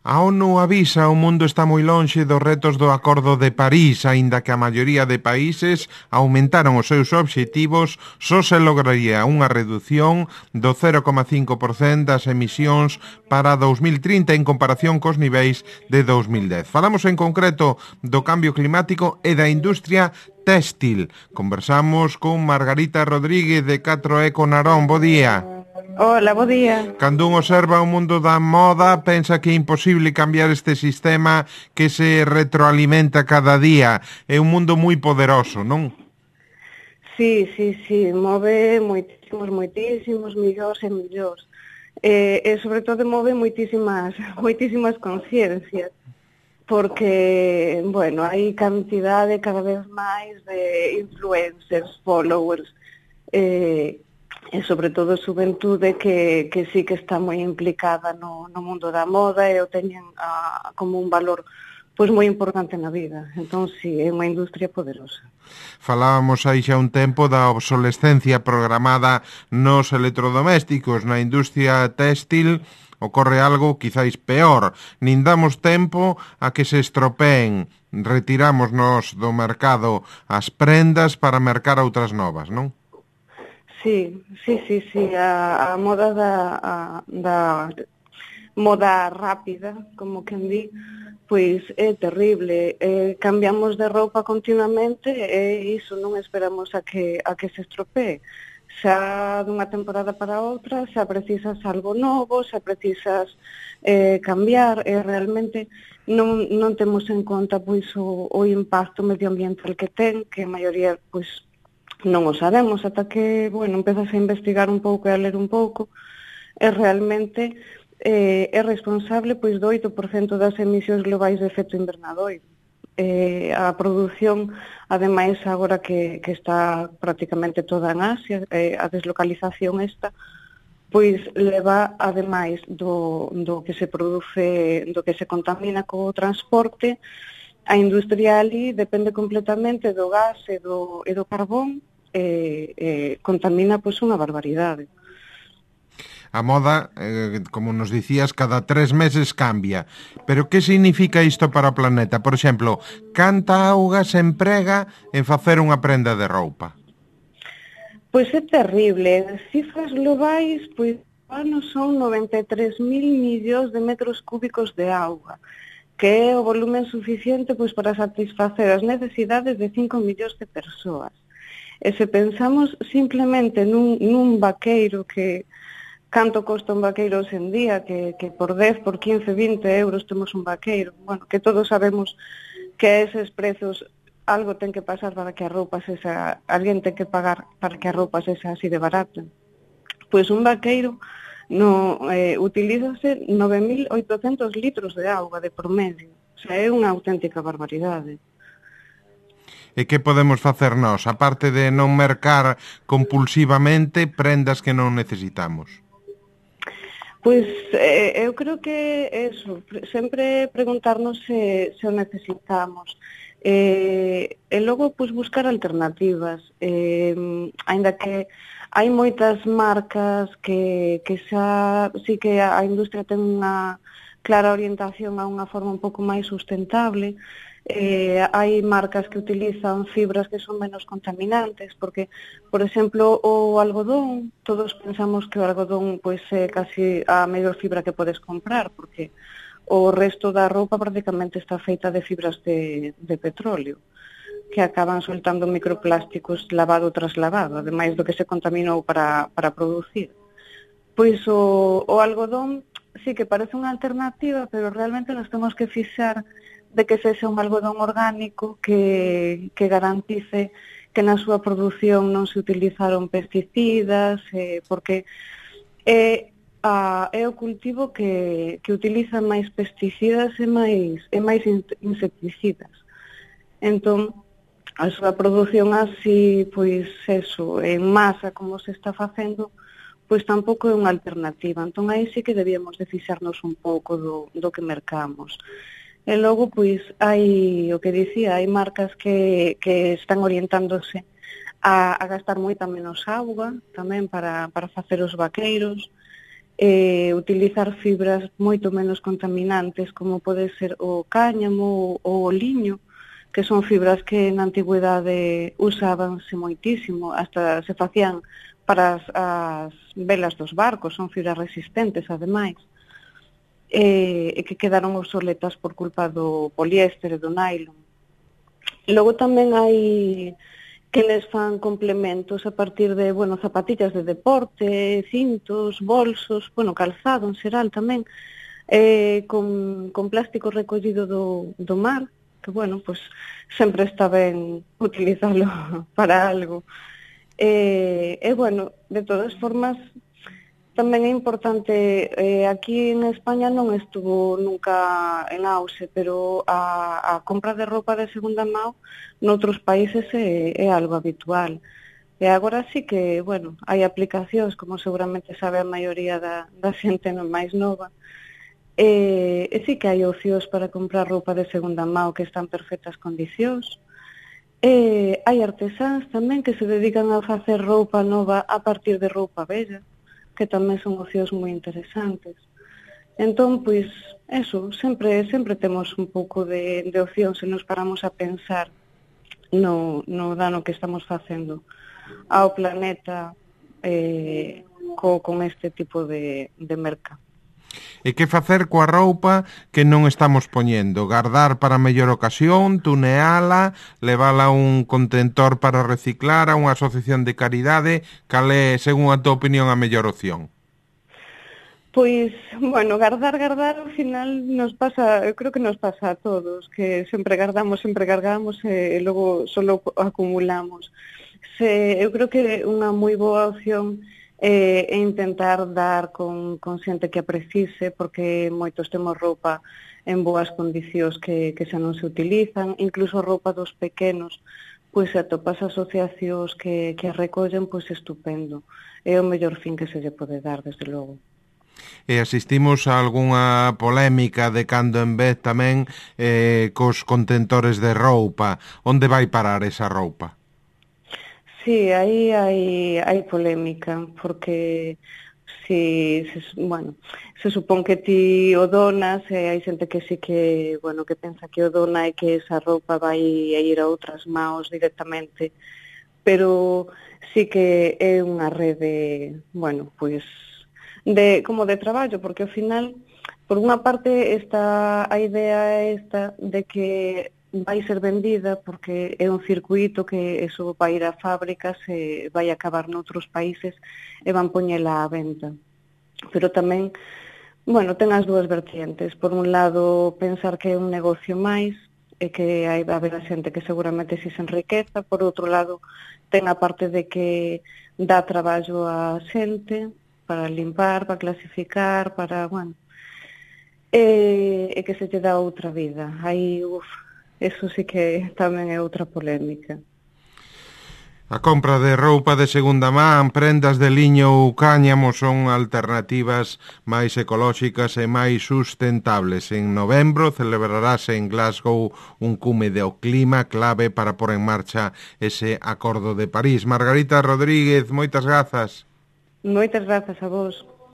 A ONU avisa o mundo está moi lonxe dos retos do Acordo de París, aínda que a maioría de países aumentaron os seus obxectivos, só se lograría unha redución do 0,5% das emisións para 2030 en comparación cos niveis de 2010. Falamos en concreto do cambio climático e da industria téxtil. Conversamos con Margarita Rodríguez de 4E Narón. Bo día. Hola, bo día. Cando un observa o mundo da moda, pensa que é imposible cambiar este sistema que se retroalimenta cada día. É un mundo moi poderoso, non? Sí, move moitísimos millóns e millóns. E sobre todo move moitísimas conciencias. Porque, bueno, hai cantidade cada vez máis de influencers, followers, e sobre todo xuventude que sí que está moi implicada no mundo da moda e o teñen como un valor pois moi importante na vida. Entón, sí, é unha industria poderosa. Falábamos aí xa un tempo da obsolescencia programada nos electrodomésticos. Na industria téxtil ocorre algo quizáis peor. Nin damos tempo a que se estropeen. Retiramos-nos do mercado as prendas para mercar outras novas, non? Sí. A moda da moda rápida, como quen di, pois é terrible. Cambiamos de roupa continuamente e iso non esperamos a que se estropee. Xa dunha temporada para outra, xa precisas algo novo, xa precisas cambiar e realmente non temos en conta pois o impacto medioambiental que ten, que a maioría pois non o sabemos ata que, bueno, empezas a investigar un pouco e a ler un pouco, e realmente é responsable pois do 8% das emisións globais de efecto invernadoiro. A produción, ademais, agora que está prácticamente toda en Asia, a deslocalización esta, pois leva, ademais do que se produce, do que se contamina co transporte, a industria ali depende completamente do gas e do carbón, contamina pois unha barbaridade. A moda, como nos dicías, cada 3 meses cambia. Pero que significa isto para o planeta? Por exemplo, canta auga se emprega en facer unha prenda de roupa? Pois é terrible. As cifras globais, pois, ano son 93.000 millóns de metros cúbicos de auga, que é o volumen suficiente pois para satisfacer as necesidades de 5 millóns de persoas. E se pensamos simplemente nun vaqueiro, que canto costa un vaqueiro hoxe en día, que por 10, por 15, 20 euros temos un vaqueiro, bueno, que todos sabemos que eses prezos algo ten que pasar para que a roupa sexa, alguén ten que pagar para que a roupa sexa así de barata. Pois un vaqueiro utilízase 9.800 litros de auga de promedio. O sea, é unha auténtica barbaridade. E que podemos facer nós, aparte de non mercar compulsivamente prendas que non necesitamos? Pois eu creo que eso, sempre preguntarnos se o necesitamos. E logo pois buscar alternativas. Aínda que hai moitas marcas que xa sí que a industria ten unha clara orientación a unha forma un pouco máis sustentable. Hai marcas que utilizan fibras que son menos contaminantes, porque, por exemplo, o algodón, todos pensamos que o algodón pois é casi a mellor fibra que podes comprar, porque o resto da roupa prácticamente está feita de fibras de petróleo, que acaban soltando microplásticos lavado tras lavado, ademais do que se contaminou para producir. Pois o algodón sí que parece unha alternativa, pero realmente nos temos que fixar de que sexa un algodón orgánico que garantice que na súa produción non se utilizaron pesticidas, porque é o cultivo que utiliza máis pesticidas e máis insecticidas. Entón, a súa produción así, pois eso, en masa, como se está facendo, pois tampouco é unha alternativa. Entón, aí sí que debíamos de fixarnos un pouco do que mercamos. E logo, pois, hai, o que dicía, hai marcas que están orientándose a gastar moita menos auga, tamén para facer os vaqueiros, utilizar fibras moito menos contaminantes, como pode ser o cáñamo ou o liño, que son fibras que na antigüedade usábanse moitísimo, hasta se facían para as velas dos barcos, son fibras resistentes, ademais, e que quedaron obsoletas por culpa do poliéster e do nylon. Logo tamén hai que les fan complementos a partir de, zapatillas de deporte, cintos, bolsos, calzado en xeral tamén, con plástico recollido do mar, que, pues sempre está ben utilizalo para algo. De todas formas, tamén é importante, aquí en España non estuvo nunca en auxe, pero a compra de roupa de segunda mão noutros países é algo habitual. E agora sí que, hai aplicacións, como seguramente sabe a maioría da xente máis nova, e sí que hai opcións para comprar roupa de segunda mão que están en perfectas condicións. Hai artesáns tamén que se dedican a facer roupa nova a partir de roupa vella, que tamén son opcións moi interesantes. Entón, pois, sempre temos un pouco de opcións se nos paramos a pensar no dano que estamos facendo ao planeta con este tipo de merca. E que facer coa roupa que non estamos poñendo? Gardar para mellor ocasión, tuneala, levala a un contentor para reciclar, a unha asociación de caridade? Cal é, según a tua opinión, a mellor opción? Pois, gardar, ao final nos pasa, eu creo que nos pasa a todos, que sempre cargamos e logo solo acumulamos. Eu creo que unha moi boa opción e intentar dar con xente que a precise, porque moitos temos roupa en boas condicións que xa non se utilizan, incluso roupa dos pequenos, pois se atopas asociacións que a recollen, pois estupendo. É o mellor fin que se lle pode dar, desde logo. E asistimos a algunha polémica de cando en vez tamén cos contentores de roupa. Onde vai parar esa roupa? Sí, aí hai polémica, porque se supón que ti o donas, e hai xente que sí que pensa que o dona e que esa roupa vai a ir a outras maos directamente, pero sí que é unha rede, como de traballo, porque ao final, por unha parte, está a idea esta de que vai ser vendida porque é un circuito que eso vai ir a fábricas e vai acabar noutros países e van poñela á venta. Pero tamén, ten as dúas vertientes. Por un lado, pensar que é un negocio máis e que hai va haber a xente que seguramente si se enriqueza. Por outro lado, ten a parte de que dá traballo a xente para limpar, para clasificar, para, e que se lle dá outra vida. Aí, eso sí que tamén é outra polémica. A compra de roupa de segunda man, prendas de liño ou cáñamo son alternativas máis ecolóxicas e máis sustentables. En novembro celebrarase en Glasgow un cume do clima clave para pôr en marcha ese Acordo de París. Margarita Rodríguez, moitas grazas. Moitas grazas a vos.